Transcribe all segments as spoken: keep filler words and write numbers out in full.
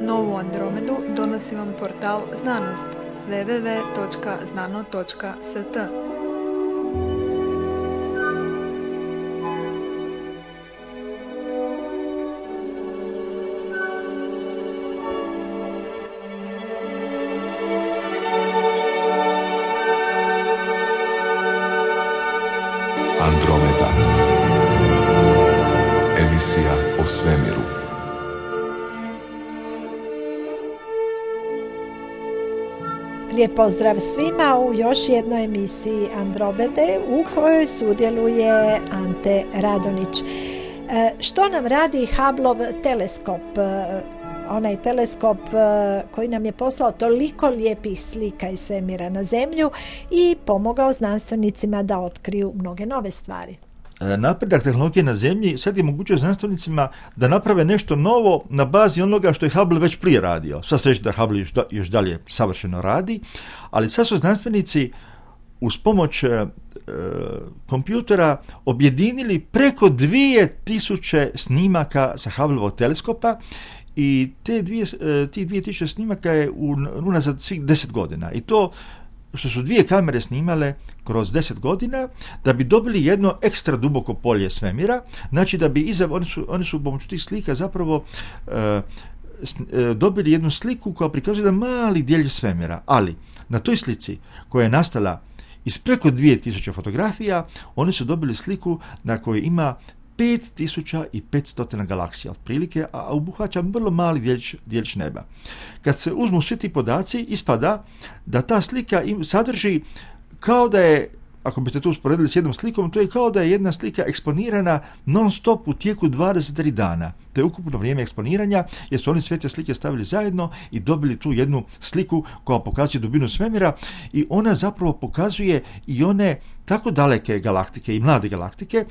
Novu Andromedu donosi vam portal Znanost w w w točka znano točka s t. Andromeda. Emisija o svemiru. Lijep pozdrav svima u još jednoj emisiji Andromede u kojoj sudjeluje Ante Radonić. E, što nam radi Hubbleov teleskop? E, onaj teleskop e, koji nam je poslao toliko lijepih slika iz svemira na Zemlju i pomogao znanstvenicima da otkriju mnoge nove stvari. Napredak tehnologije na Zemlji sad je mogućio znanstvenicima da naprave nešto novo na bazi onoga što je Hubble već prije radio. Sva sreća da Hubble još, da, još dalje savršeno radi, ali sad su znanstvenici uz pomoć e, kompjutera objedinili preko dvije tisuće snimaka sa Hubbleovog teleskopa i te dvije, ti dvije tisuće snimaka je unazad svih deset godina. I to što su dvije kamere snimale kroz deset godina da bi dobili jedno ekstra duboko polje svemira, znači da bi iza, oni su, oni su pomoću tih slika zapravo e, e, dobili jednu sliku koja prikazuje jedan mali djelić svemira, ali na toj slici koja je nastala iz preko dvije tisuće fotografija, oni su dobili sliku na kojoj ima pet tisuća petsto galaksija otprilike, a obuhvaća vrlo mali djelić, djelić neba. Kad se uzmu svi ti podaci, ispada da ta slika im sadrži kao da je, ako biste to usporedili s jednom slikom, to je kao da je jedna slika eksponirana non stop u tijeku dvadeset tri dana. To je ukupno vrijeme eksponiranja, jer su oni sve te slike stavili zajedno i dobili tu jednu sliku koja pokazuje dubinu svemira i ona zapravo pokazuje i one tako daleke galaktike i mlade galaktike.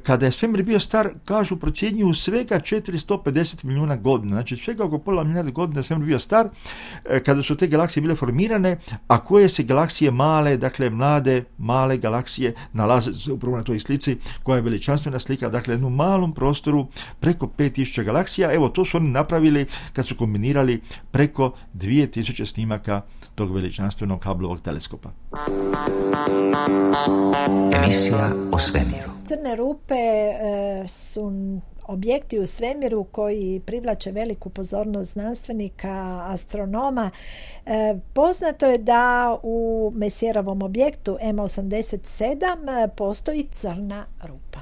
Kada je svemir bio star, kažu, procjenjuju svega četiristo pedeset milijuna godina, znači svega oko pola milijarde godina svemir bio star, kada su te galaksije bile formirane, a koje se galaksije male, dakle mlade, male galaksije nalaze se upravo na toj slici koja je veličanstvena slika, dakle jednom malom prostoru preko pet tisuća galaksija. Evo, to su oni napravili kad su kombinirali preko dvije tisuće snimaka tog veličanstvenog Hubbleovog teleskopa. Emisija o svemiru. Crne rupe e, su objekti u svemiru koji privlače veliku pozornost znanstvenika, astronoma. E, poznato je da u Messierovom objektu M osamdeset sedam postoji crna rupa.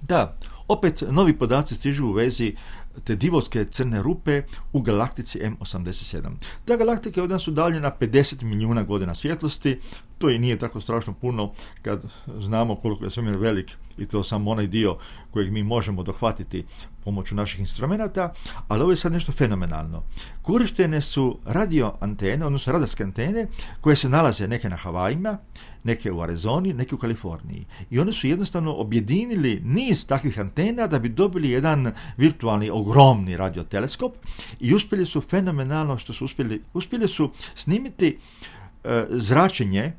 Da, opet novi podaci stižu u vezi te divovske crne rupe u galaktici M osamdeset sedam. Ta galaktika je od nas udaljena pedeset milijuna godina svjetlosti. To i nije tako strašno puno kad znamo koliko je svemir velik i to samo onaj dio kojeg mi možemo dohvatiti pomoću naših instrumenata, ali ovo je sad nešto fenomenalno. Korištene su radio antene, odnosno radarske antene koje se nalaze neke na Havajima, neke u Arizoni, neke u Kaliforniji. I oni su jednostavno objedinili niz takvih antena da bi dobili jedan virtualni, ogromni radioteleskop i uspjeli su fenomenalno što su uspjeli, uspjeli su snimiti e, zračenje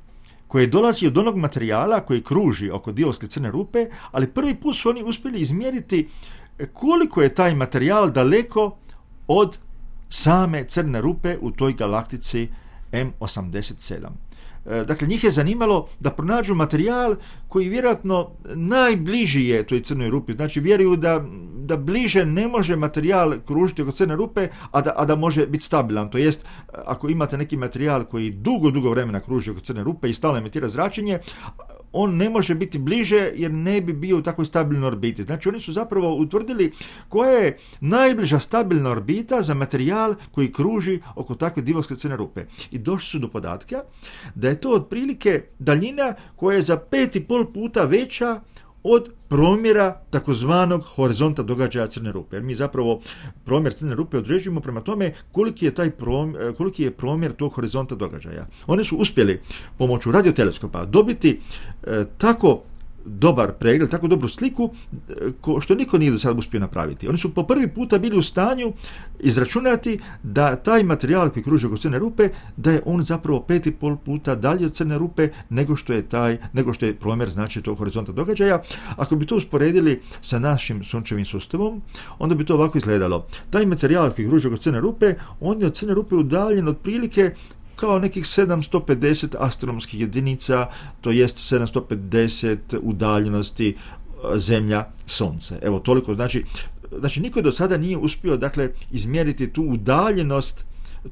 koje dolazi od onog materijala koji kruži oko divovske crne rupe, ali prvi put su oni uspjeli izmjeriti koliko je taj materijal daleko od same crne rupe u toj galaktici M osamdeset sedam. Dakle, njih je zanimalo da pronađu materijal koji vjerojatno najbliži je toj crnoj rupi. Znači, vjeruju da, da bliže ne može materijal kružiti oko crne rupe, a da, a da može biti stabilan. To jest, ako imate neki materijal koji dugo, dugo vremena kruži oko crne rupe i stalno emitira zračenje, on ne može biti bliže jer ne bi bio u takvoj stabilnoj orbiti. Znači, oni su zapravo utvrdili koja je najbliža stabilna orbita za materijal koji kruži oko takve divovske crne rupe. I došli su do podatka da je to otprilike daljina koja je za pet i pol puta veća od promjera takozvanog horizonta događaja crne rupe. Jer mi zapravo promjer crne rupe određujemo prema tome koliki je taj promjer, koliki je promjer tog horizonta događaja. Oni su uspjeli pomoću radioteleskopa dobiti e, tako dobar pregled, tako dobru sliku, ko, što niko nije do sada uspio napraviti. Oni su po prvi puta bili u stanju izračunati da taj materijal koji kruži oko crne rupe, da je on zapravo pet i pol puta dalje od crne rupe nego što je taj, nego što je promjer znači tog horizonta događaja. Ako bi to usporedili sa našim sunčevim sustavom, onda bi to ovako izgledalo. Taj materijal koji kruži oko crne rupe, on je od crne rupe udaljen otprilike kao nekih sedamsto pedeset astronomskih jedinica, to jest sedamsto pedeset udaljenosti Zemlja, Sunce. Evo, toliko, znači, znači niko do sada nije uspio, dakle, izmjeriti tu udaljenost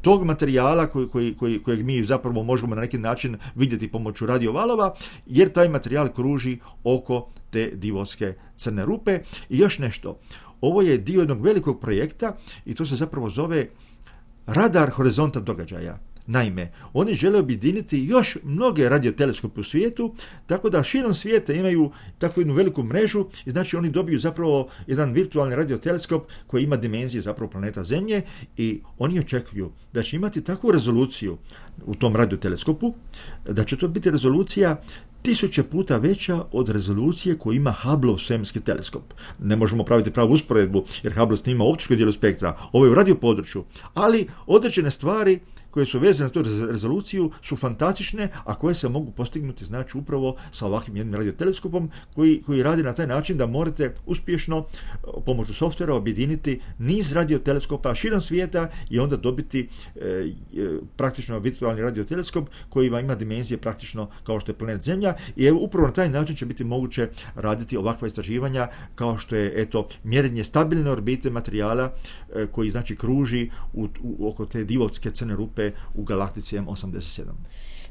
tog materijala koji, koji, koji, kojeg mi zapravo možemo na neki način vidjeti pomoću radiovalova, jer taj materijal kruži oko te divovske crne rupe. I još nešto, ovo je dio jednog velikog projekta i to se zapravo zove radar horizonta događaja. Naime, oni žele objediniti još mnoge radioteleskope u svijetu, tako da širom svijeta imaju takvu jednu veliku mrežu i znači oni dobiju zapravo jedan virtualni radioteleskop koji ima dimenzije zapravo planeta Zemlje i oni očekuju da će imati takvu rezoluciju u tom radioteleskopu, da će to biti rezolucija tisuće puta veća od rezolucije koju ima Hubbleov svemirski teleskop. Ne možemo praviti pravu usporedbu jer Hubble snima optičko dijelo spektra, ovo je u radio području, ali određene stvari koje su vezane na tu rezoluciju su fantastične, a koje se mogu postignuti znači upravo sa ovakvim jednim radioteleskopom koji, koji radi na taj način da morate uspješno pomoću softvera objediniti niz radioteleskopa širom svijeta i onda dobiti e, e, praktično virtualni radioteleskop koji ima dimenzije praktično kao što je planet Zemlja i evo, upravo na taj način će biti moguće raditi ovakva istraživanja kao što je eto mjerenje stabilne orbite materijala e, koji znači kruži u, u, oko te divovske crne rupe u galaktici M osamdeset sedam.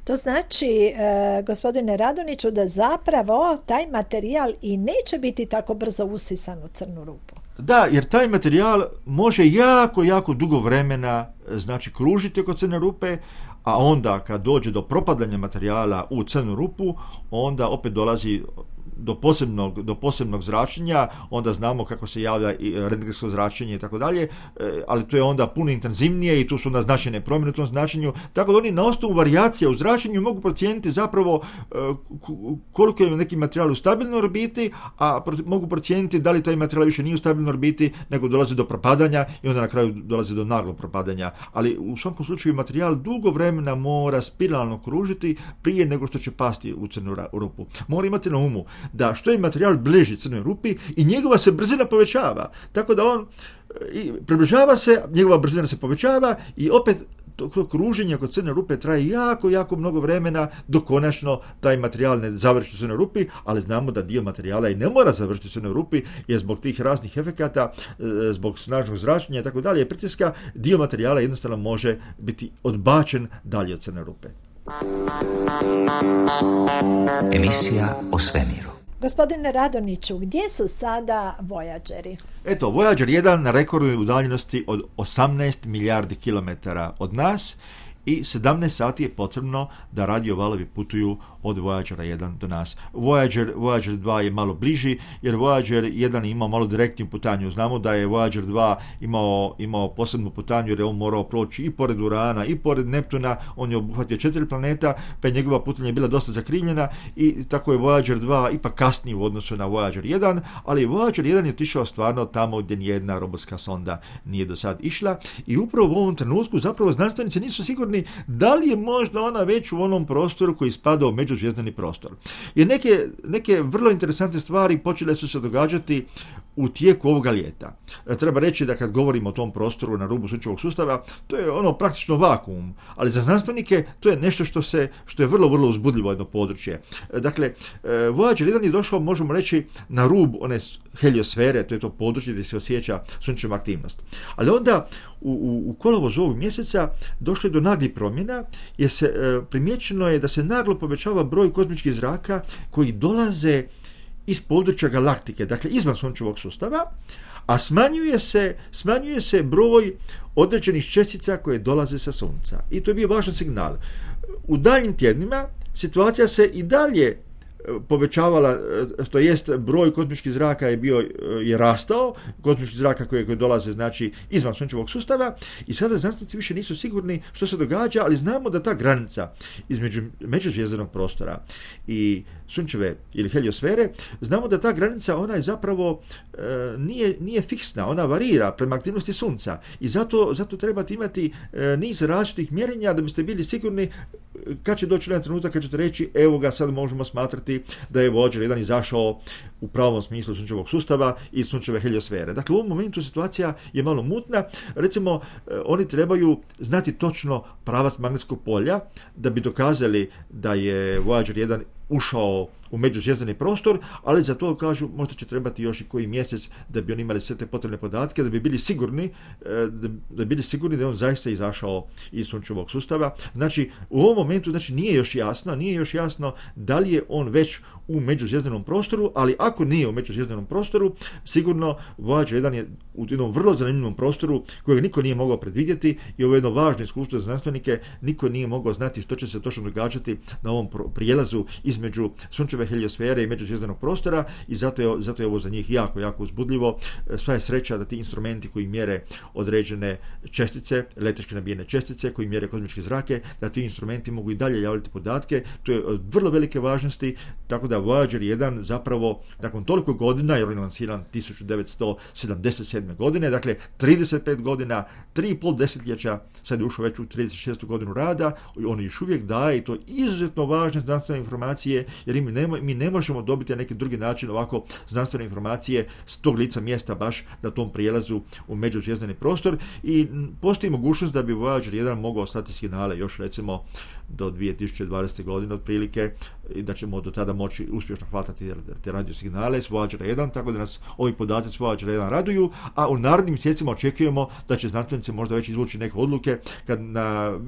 To znači, e, gospodine Radonjiću, da zapravo taj materijal i neće biti tako brzo usisan u crnu rupu. Da, jer taj materijal može jako, jako dugo vremena znači kružiti oko crne rupe, a onda kad dođe do propadanja materijala u crnu rupu, onda opet dolazi do posebnog, do posebnog zračenja, onda znamo kako se javlja i rentgensko zračenje i tako dalje, ali to je onda puno intenzivnije i tu su onda značajne promjene u tom značenju, tako da oni na osnovu varijacija u zračenju mogu procijeniti zapravo koliko je neki materijal u stabilnoj orbiti, a mogu procijeniti da li taj materijal više nije u stabilnoj orbiti, nego dolazi do propadanja i onda na kraju dolazi do naglog propadanja. Ali u svakom slučaju materijal dugo vremena mora spiralno kružiti prije nego što će pasti u crnu rupu. Mora imati na umu da što je materijal bliži crnoj rupi i njegova se brzina povećava. Tako da on i približava se, njegova brzina se povećava i opet to, to kruženje oko crne rupe traje jako, jako mnogo vremena dok konačno taj materijal ne završi u crnoj rupi, ali znamo da dio materijala i ne mora završiti u crnoj rupi jer zbog tih raznih efekata, zbog snažnog zračenja i tako dalje, pritiska, dio materijala jednostavno može biti odbačen dalje od crne rupe. Emisija o svemiru. Gospodine Radonjiću, gdje su sada Voyageri? Eto, Voyager jedan na rekordnoj udaljenosti od osamnaest milijardi kilometara od nas i sedamnaest sati je potrebno da radiovalovi putuju od Voyagera jedan do nas. Voyager, Voyager dva je malo bliži, jer Voyager jedan je imao malo direktniju putanju. Znamo da je Voyager dva imao, imao posebnu putanju, jer je on morao proći i pored Urana, i pored Neptuna, on je obuhvatio četiri planeta, pa je njegova putanja bila dosta zakrivljena i tako je Voyager dva ipak kasniji u odnosu na Voyager jedan, ali Voyager jedan je otišao stvarno tamo gdje nijedna robotska sonda nije do sad išla i upravo u ovom trenutku zapravo znanstvenici nisu sigurni da li je možda ona već u onom prostoru koji spada u međuzvijezdani prostor. Jer neke, neke vrlo interesantne stvari počele su se događati u tijeku ovoga ljeta. Treba reći da kad govorimo o tom prostoru na rubu sunčevog sustava, to je ono praktično vakuum, ali za znanstvenike to je nešto što se što je vrlo, vrlo uzbudljivo jedno područje. Dakle, Voyager jedan je došao, možemo reći, na rub one heliosfere, to je to područje gdje se osjeća sunčeva aktivnost. Ali onda u, u, u kolovozu ovog mjeseca došlo je do naglih promjena, jer se e, primjećeno je da se naglo povećava broj kozmičkih zraka koji dolaze iz područja galaktike, dakle izvan sunčevog sustava, a smanjuje se, smanjuje se broj određenih čestica koje dolaze sa sunca. I to je bio važan signal. U daljnjim tjednima situacija se i dalje povećavala, to jest broj kozmičkih zraka je bio je rastao, kozmičkih zraka koje, koje dolaze znači izvan sunčevog sustava i sada znanstvenici više nisu sigurni što se događa, ali znamo da ta granica između međuzvjezdanog prostora i sunčeve ili heliosfere, znamo da ta granica ona je zapravo e, nije, nije fiksna, ona varira prema aktivnosti sunca i zato, zato trebate imati e, niz različitih mjerenja da biste bili sigurni kad će doći jedan trenutak kad ćete reći evo ga sad možemo smatrati da je Voyager jedan izašao u pravom smislu sunčevog sustava i sunčeve heliosfere. Dakle, u ovom momentu situacija je malo mutna. Recimo, oni trebaju znati točno pravac magnetskog polja da bi dokazali da je Voyager jedan ušao u međuzvjezdani prostor, ali za to kažu možda će trebati još i koji mjesec da bi oni imali sve te potrebne podatke, da bi bili sigurni da bi bili sigurni da je on zaista izašao iz sunčevog sustava. Znači, u ovom momentu znači, nije još jasno, nije još jasno da li je on već u međuzvjezdanom prostoru, ali ako nije u međuzvjezdanom prostoru, sigurno Voyager jedan je u jednom vrlo zanimljivom prostoru kojeg niko nije mogao predvidjeti i ovo je jedno važno iskustvo za znanstvenike, niko nije mogao znati što će se točno događati na ovom prijelazu između sunčeve heliosfere i međuzvjezdanog prostora i zato je, zato je ovo za njih jako, jako uzbudljivo. Sva je sreća da ti instrumenti koji mjere određene čestice, električki nabijene čestice, koji mjere kozmičke zrake, da ti instrumenti mogu i dalje javljati podatke. To je od vrlo velike važnosti, tako da Voyager jedan zapravo nakon toliko godina, jer on je lansiran tisuću devetsto sedamdeset sedme godine, dakle trideset pet godina, tri i pol desetljeća, sad je ušao već u trideset šestu godinu rada, on još uvijek daje i to izuzetno važne znanstvene informacije, jer mi ne, mi ne možemo dobiti na neki drugi način ovako znanstvene informacije s tog lica mjesta baš na tom prijelazu u međuzvjezdani prostor i postoji mogućnost da bi Voyager jedan mogao slati signale još recimo do dvije tisuće dvadesete godine otprilike i da ćemo do tada moći uspješno hvatati te radio signale s Voyager jedan, tako da nas ovi podaci s Voyager jedan raduju, a u narednim mjesecima očekujemo da će znanstvenici možda već izvući neke odluke kad na,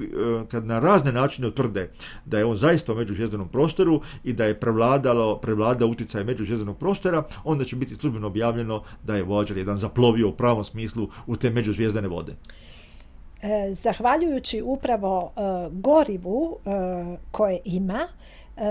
kad na razne načine utvrde da je on zaista u međuzvjezdanom prostoru i da je prevladalo, prevladao utjecaj međuzvjezdanog prostora, onda će biti službeno objavljeno da je Voyager jedan zaplovio u pravom smislu u te međuzvjezdane vode. Zahvaljujući upravo uh, gorivu uh, koje ima, uh,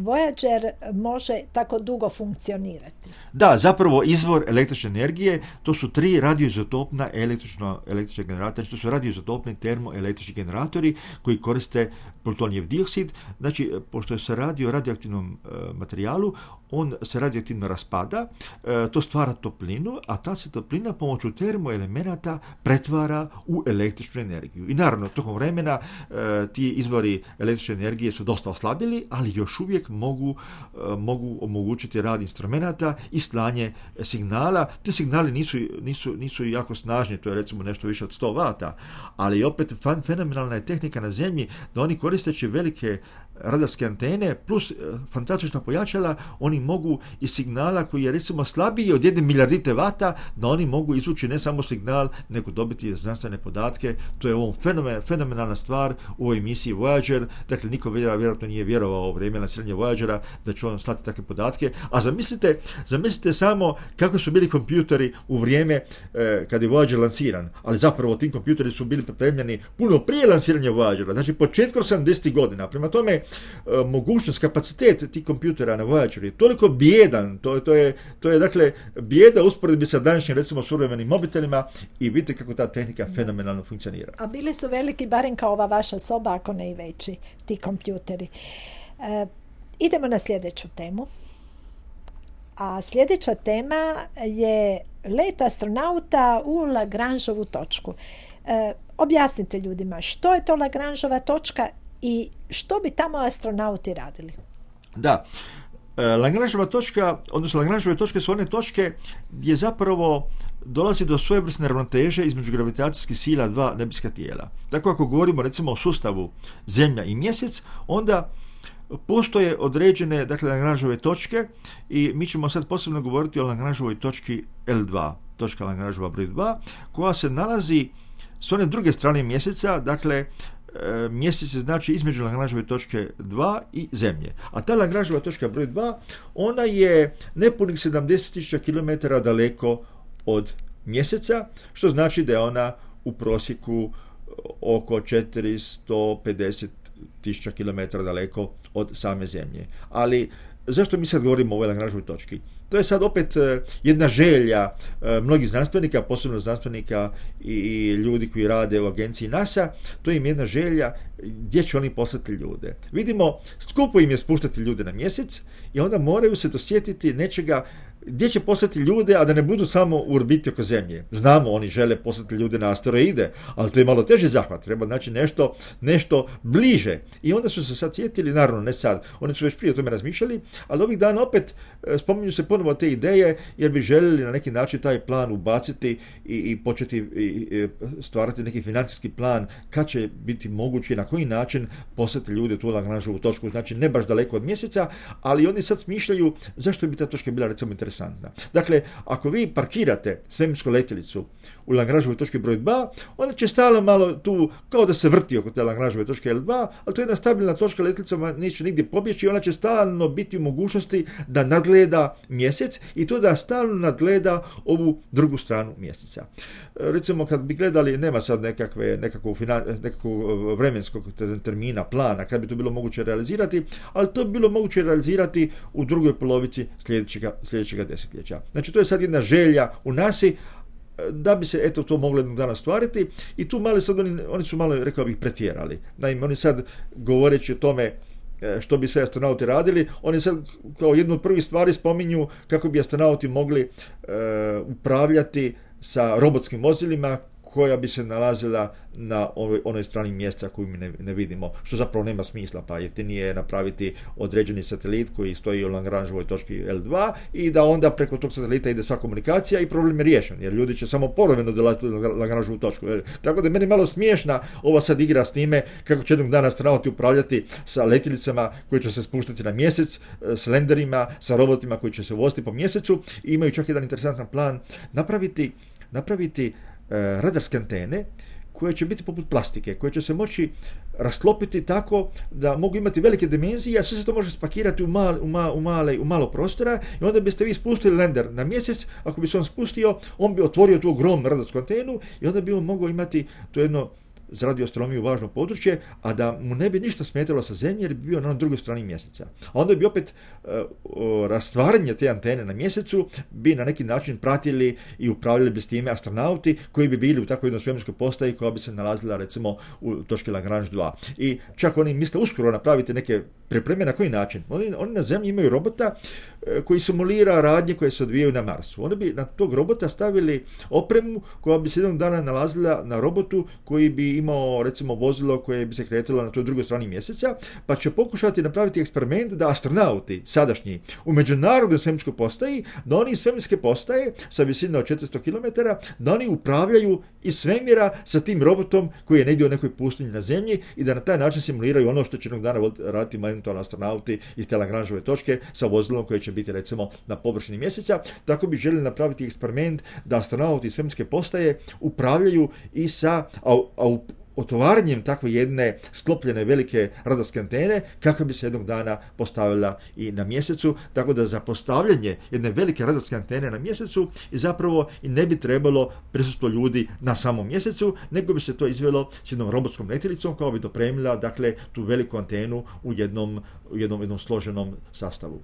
Voyager može tako dugo funkcionirati. Da, zapravo izvor električne energije, to su tri radioizotopna električno, električne generatora, to su radioizotopni termoelektrični generatori koji koriste plutonijev dioksid. Znači, pošto se radi o radioaktivnom uh, materijalu, on se radioaktivno raspada, e, to stvara toplinu, a ta se toplina pomoću termoelemenata pretvara u električnu energiju. I naravno, tokom vremena e, ti izvori električne energije su dosta oslabili, ali još uvijek mogu, e, mogu omogućiti rad instrumenata i slanje signala. Ti signali nisu, nisu, nisu jako snažni, to je recimo nešto više od sto vata, ali opet fan, fenomenalna je tehnika na Zemlji da oni koristeći velike radarske antene plus e, fantastična pojačala, oni mogu iz signala koji je recimo slabiji od jedne milijardite vata, da oni mogu izvući ne samo signal, nego dobiti znanstvene podatke. To je ovom fenomen, fenomenalna stvar u ovoj misiji Voyager. Dakle, niko vjerojatno nije vjerovao u vrijeme lansiranja Voyagera da će on slati takve podatke. A zamislite, zamislite samo kako su bili kompjuteri u vrijeme e, kad je Voyager lansiran. Ali zapravo tim kompjuteri su bili pripremljeni puno prije lansiranja Voyagera. Znači, početkom sedamdesetih godina. Prema tome, e, mogućnost, kapacitet tih kompjutera na Voyageru je toliko bijedan, to, to, je, to je dakle bijeda usporedbi sa današnjim recimo suvremenim mobitelima i vidite kako ta tehnika fenomenalno funkcionira. A bili su veliki, barem kao ova vaša soba, ako ne i veći, ti kompjuteri. E, idemo na sljedeću temu. A sljedeća tema je let astronauta u Lagrangeovu točku. E, objasnite ljudima što je to Lagrangeova točka i što bi tamo astronauti radili. Da, Lagrangeova točka, odnosno Lagrangeove točke su one točke gdje zapravo dolazi do svojevrsne ravnoteže između gravitacijskih sila dva nebeska tijela. Tako ako govorimo recimo o sustavu Zemlja i Mjesec, onda postoje određene, dakle, Lagrangeove točke i mi ćemo sad posebno govoriti o Lagrangeovoj točki L dva, točka Lagrangeova broj dva, koja se nalazi s one druge strane Mjeseca, dakle, Mjesec je znači između Lagrangeove točke dva i Zemlje. A ta Lagrangeova točka broj dva, ona je nepunih sedamdeset tisuća kilometara daleko od Mjeseca, što znači da je ona u prosjeku oko četiristo pedeset tisuća kilometara daleko od same Zemlje. Ali zašto mi sad govorimo o ovoj Lagrangeovoj točki? To je sad opet jedna želja mnogih znanstvenika, posebno znanstvenika i ljudi koji rade u agenciji NASA, to im je jedna želja gdje će oni poslati ljude. Vidimo, skupo im je spuštati ljude na mjesec i onda moraju se dosjetiti nečega gdje će poslati ljude, a da ne budu samo u orbiti oko Zemlje. Znamo, oni žele poslati ljude na asteroide, ali to je malo teži zahvat, treba znači nešto, nešto bliže. I onda su se sad sjetili, naravno ne sad, oni su već prije o tome razmišljali, ali ovih dana opet spominju se ponovo te ideje, jer bi željeli na neki način taj plan ubaciti i, i početi i, i stvarati neki financijski plan kad će biti moguće i na koji način poslati ljude u tu Lagrangeovu točku, znači ne baš daleko od mjeseca, ali oni sad smišljaju zašto bi ta točka bila recimo interesantna. Dakle, ako vi parkirate svemirsku letjelicu u Lagrangeovoj točki broj dva, onda će stalno malo tu, kao da se vrti oko te Lagrangeove točke L dva, ali to je jedna stabilna točka, letjelica neće nigdje pobjeći i ona će stalno biti u mogućnosti da nadgleda mjesec i to da stalno nadgleda ovu drugu stranu mjeseca. Recimo, kad bi gledali, nema sad nekakve, nekakvog, nekakvog vremenskog termina, plana, kad bi to bilo moguće realizirati, ali to bi bilo moguće realizirati u drugoj polovici sljedećega, sljedećega desetljeća. Znači, to je sad jedna želja u nasi da bi se eto to moglo jednog dana stvariti i tu mali sad oni, oni su malo, rekao bih, pretjerali. Naime, oni sad govoreći o tome što bi sve astronauti radili, oni sad kao jednu od prvih stvari spominju kako bi astronauti mogli e, upravljati sa robotskim vozilima koja bi se nalazila na ovoj, onoj strani mjeseca koju mi ne, ne vidimo, što zapravo nema smisla, pa jeftinije je napraviti određeni satelit koji stoji u Lagrangeovoj točki L dva i da onda preko tog satelita ide sva komunikacija i problem je riješen, jer ljudi će samo povremeno dolaziti u Lagrangeovu točku. Tako da je meni malo smiješna ova sad igra s time kako će jednog dana astronauti upravljati sa letjelicama koje će se spuštati na mjesec, s lenderima, sa robotima koji će se voziti po mjesecu i imaju čak jedan interesantan plan napraviti, napraviti radarske antene koje će biti poput plastike, koje će se moći rasklopiti tako da mogu imati velike dimenzije, a sve se to može spakirati u, mal, u, ma, u, male, u malo prostora i onda biste vi spustili lender na mjesec, ako bi se on spustio, on bi otvorio tu ogromnu radarsku antenu i onda bi on mogao imati to jedno za radioastronomiju važno područje, a da mu ne bi ništa smetalo sa Zemlje jer bi bio na drugoj strani mjeseca. A onda bi opet uh, rastvaranje te antene na mjesecu bi na neki način pratili i upravljali bi s time astronauti koji bi bili u takvoj jednoj svemirskoj postaji koja bi se nalazila recimo u točki Lagrange dva. I čak oni misle uskoro napraviti neke pripreme na koji način. Oni, oni na Zemlji imaju robota uh, koji simulira radnje koje se odvijaju na Marsu. Oni bi na tog robota stavili opremu koja bi se jednog dana nalazila na robotu koji bi imao recimo vozilo koje bi se kretalo na toj drugoj strani mjeseca, pa će pokušati napraviti eksperiment da astronauti sadašnji u međunarodnoj svemirskoj postaji, da oni iz svemirske postaje sa visine od četiristo kilometara, da oni upravljaju iz svemira sa tim robotom koji je negdje u nekoj pustinji na Zemlji i da na taj način simuliraju ono što će jednog dana raditi eventualno astronauti iz te Lagrangeove točke sa vozilom koje će biti recimo na površini mjeseca. Tako bi željeli napraviti eksperiment da astronauti iz svemirske postaje upravljaju i sa a, a otvaranjem takve jedne sklopljene velike radarske antene kako bi se jednog dana postavila i na mjesecu, tako da za postavljanje jedne velike radarske antene na mjesecu i zapravo i ne bi trebalo prisustvo ljudi na samom mjesecu, nego bi se to izvelo s jednom robotskom letjelicom koja bi dopremila dakle tu veliku antenu u jednom, u jednom, jednom složenom sastavu.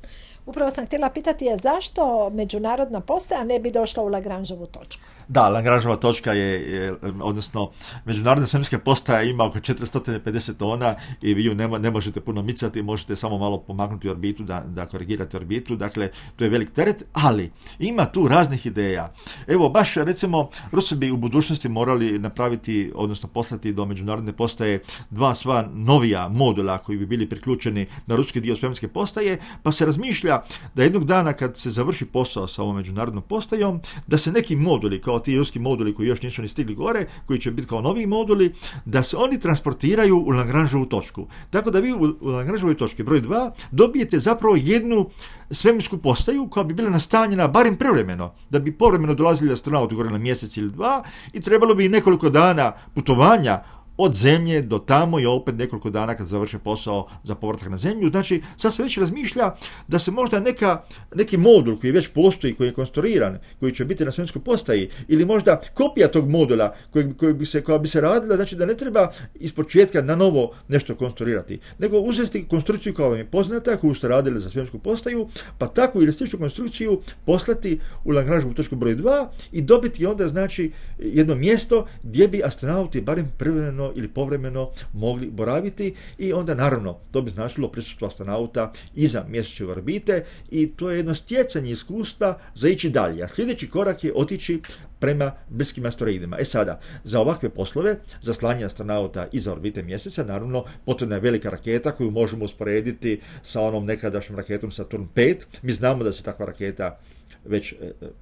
Upravo sam htjela pitati je zašto međunarodna postaja ne bi došla u Lagrangeovu točku? Da, Lagrangeova točka je, je odnosno međunarodna svemirska postaja ima oko četiristo pedeset tona i vi ju ne, ne možete puno micati, možete samo malo pomaknuti orbitu da, da korigirate orbitu, dakle to je velik teret, ali ima tu raznih ideja. Evo, baš recimo Rusi bi u budućnosti morali napraviti, odnosno poslati do međunarodne postaje dva sva novija modula koji bi bili priključeni na ruski dio svemirske postaje, pa se razmišlja da jednog dana kad se završi posao sa ovom međunarodnom postajom, da se neki moduli, kao ti ruski moduli koji još nisu ni stigli gore, koji će biti kao novi moduli, da se oni transportiraju u Lagrangeovu točku. Tako da vi u, u Lagrangeovoj točki broj dva dobijete zapravo jednu svemirsku postaju koja bi bila nastanjena barem privremeno, da bi povremeno dolazili astronauti gore na mjesec ili dva i trebalo bi nekoliko dana putovanja od zemlje do tamo i opet nekoliko dana kad završe posao za povratak na zemlju. Znači, sad se već razmišlja da se možda neka, neki modul koji već postoji, koji je konstruiran, koji će biti na svemirskoj postaji, ili možda kopija tog modula koji, koji bi se, koja bi se radila, znači da ne treba ispočetka na novo nešto konstruirati, nego uzeti konstrukciju koja vam je poznata, koju ste radili za svemirsku postaju, pa takvu ili sličnu konstrukciju poslati u Lagrangeovu točku broj dva i dobiti onda znači jedno mjesto gdje bi astronauti barem privremeno ili povremeno mogli boraviti i onda naravno to bi značilo prisustvo astronauta iza mjesečeve orbite i to je jedno stjecanje iskustva za ići dalje. A sljedeći korak je otići prema bliskim asteroidima. E sada, za ovakve poslove, za slanje astronauta iza orbite mjeseca, naravno, potrebna je velika raketa koju možemo usporediti sa onom nekadašnjom raketom Saturn pet. Mi znamo da se takva raketa već e,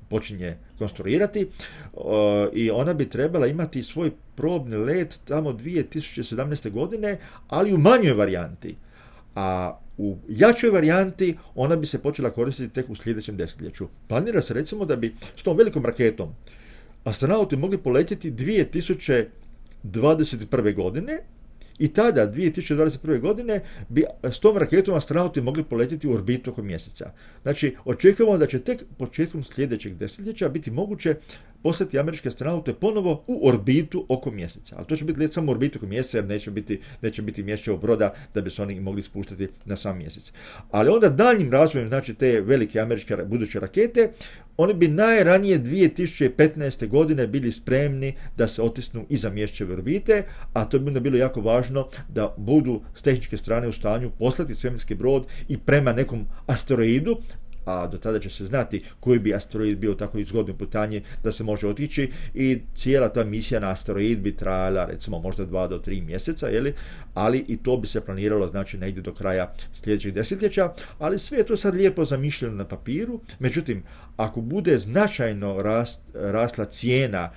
počinje konstruirati e, i ona bi trebala imati svoj probni let tamo dvije tisuće sedamnaeste. godine, ali u manjoj varijanti. A u jačoj varijanti ona bi se počela koristiti tek u sljedećem desetljeću. Planira se recimo da bi s tom velikom raketom astronauti mogli poletjeti dvije tisuće dvadeset prve. godine i tada, dvije tisuće dvadeset prve. godine, bi s tom raketom astronauti mogli poletjeti u orbitu oko mjeseca. Znači, očekujemo da će tek početkom sljedećeg desetljeća biti moguće poslati američke astronaute ponovo u orbitu oko mjeseca. Ali to će biti let samo u orbitu oko mjeseca, jer neće biti, neće biti mjesečevog broda da bi se oni mogli spuštati na sam mjesec. Ali onda daljnjim razvojem, znači te velike američke buduće rakete, oni bi najranije dvije tisuće petnaeste. godine bili spremni da se otisnu iza mjesečeve orbite, a to bi onda bilo jako važno da budu s tehničke strane u stanju poslati svemirski brod i prema nekom asteroidu, a do tada će se znati koji bi asteroid bio tako izgodno putanje da se može otići i cijela ta misija na asteroid bi trajala recimo možda dva do tri mjeseca, jeli? Ali i to bi se planiralo znači negdje do kraja sljedećeg desetljeća, ali sve je to sad lijepo zamišljeno na papiru. Međutim, ako bude značajno rast, rasla cijena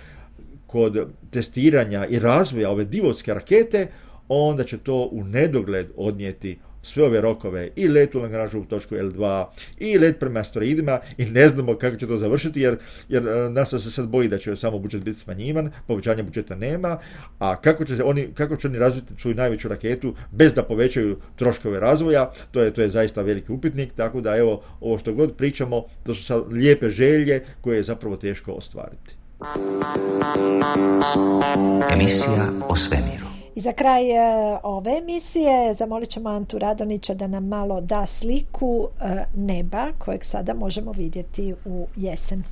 kod testiranja i razvoja ove divovske rakete, onda će to u nedogled odnijeti sve ove rokove i let u Lagrangeovu točku el dva i let prema asteroidima i ne znamo kako će to završiti jer, jer NASA se sad boji da će samo budžet biti smanjivan, povećanja budžeta nema, a kako će, oni, kako će oni razviti svoju najveću raketu bez da povećaju troškove razvoja, to je, to je zaista veliki upitnik, tako da evo, ovo što god pričamo, to su sad lijepe želje koje je zapravo teško ostvariti. Emisija o svemiru. I za kraj e, ove emisije zamolit ćemo Antu Radonića da nam malo da sliku e, neba kojeg sada možemo vidjeti u jesen.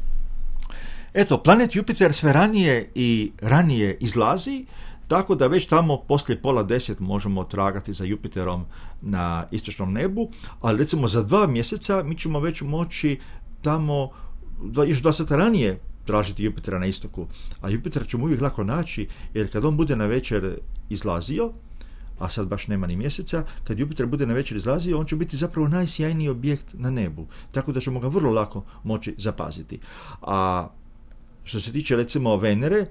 Eto, planet Jupiter sve ranije i ranije izlazi, tako da već tamo poslije pola deset možemo tragati za Jupiterom na istočnom nebu, ali recimo za dva mjeseca mi ćemo već moći tamo još dva sata ranije tražiti Jupitera na istoku, a Jupiter ćemo uvijek lako naći, jer kad on bude na večer izlazio, a sad baš nema ni mjeseca, kad Jupiter bude na večer izlazio, on će biti zapravo najsjajniji objekt na nebu, tako da ćemo ga vrlo lako moći zapaziti. A što se tiče recimo Venere,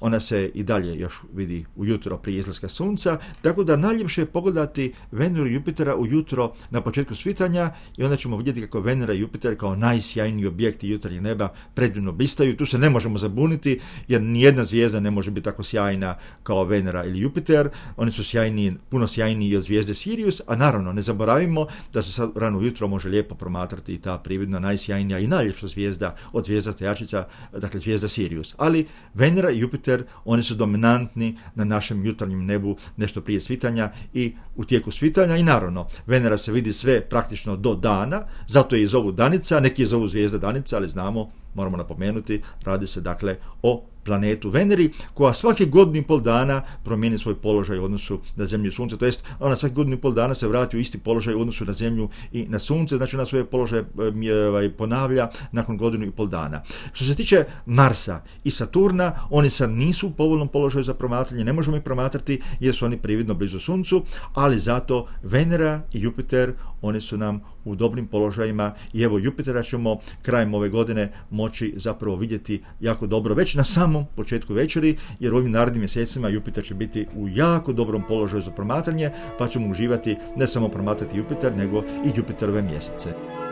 ona se i dalje još vidi ujutro prije izlaska sunca, tako da najljepše je pogledati Veneru i Jupitera ujutro na početku svitanja i onda ćemo vidjeti kako Venera i Jupiter kao najsjajniji objekti jutarnjeg neba predivno blistaju. Tu se ne možemo zabuniti jer nijedna zvijezda ne može biti tako sjajna kao Venera ili Jupiter. Oni su sjajniji, puno sjajniji od zvijezde Sirius, a naravno ne zaboravimo da se sad rano ujutro može lijepo promatrati i ta prividna najsjajnija i najljepša zvijezda od zvijezdaste jačica, dakle zvijezda Sirius. Ali Venera i Jupiter, oni su dominantni na našem jutarnjem nebu nešto prije svitanja i u tijeku svitanja i naravno Venera se vidi sve praktično do dana, zato je i zovu danica, neki je zovu zvijezda danica, ali znamo, moramo napomenuti, radi se dakle o planetu Veneri, koja svake godinu i pol dana promijeni svoj položaj u odnosu na Zemlju i Sunce, to jest ona svake godinu i pol dana se vrati u isti položaj u odnosu na Zemlju i na Sunce, znači ona svoje položaje ponavlja nakon godinu i pol dana. Što se tiče Marsa i Saturna, oni sad nisu u povoljnom položaju za promatranje, ne možemo ih promatrati jer su oni prividno blizu Suncu, ali zato Venera i Jupiter, oni su nam u dobrim položajima i evo Jupitera ćemo krajem ove godine moći zapravo vidjeti jako dobro već na samom početku večeri, jer u ovim narednim mjesecima Jupiter će biti u jako dobrom položaju za promatranje, pa ćemo uživati ne samo promatrati Jupiter, nego i Jupiterove mjesece.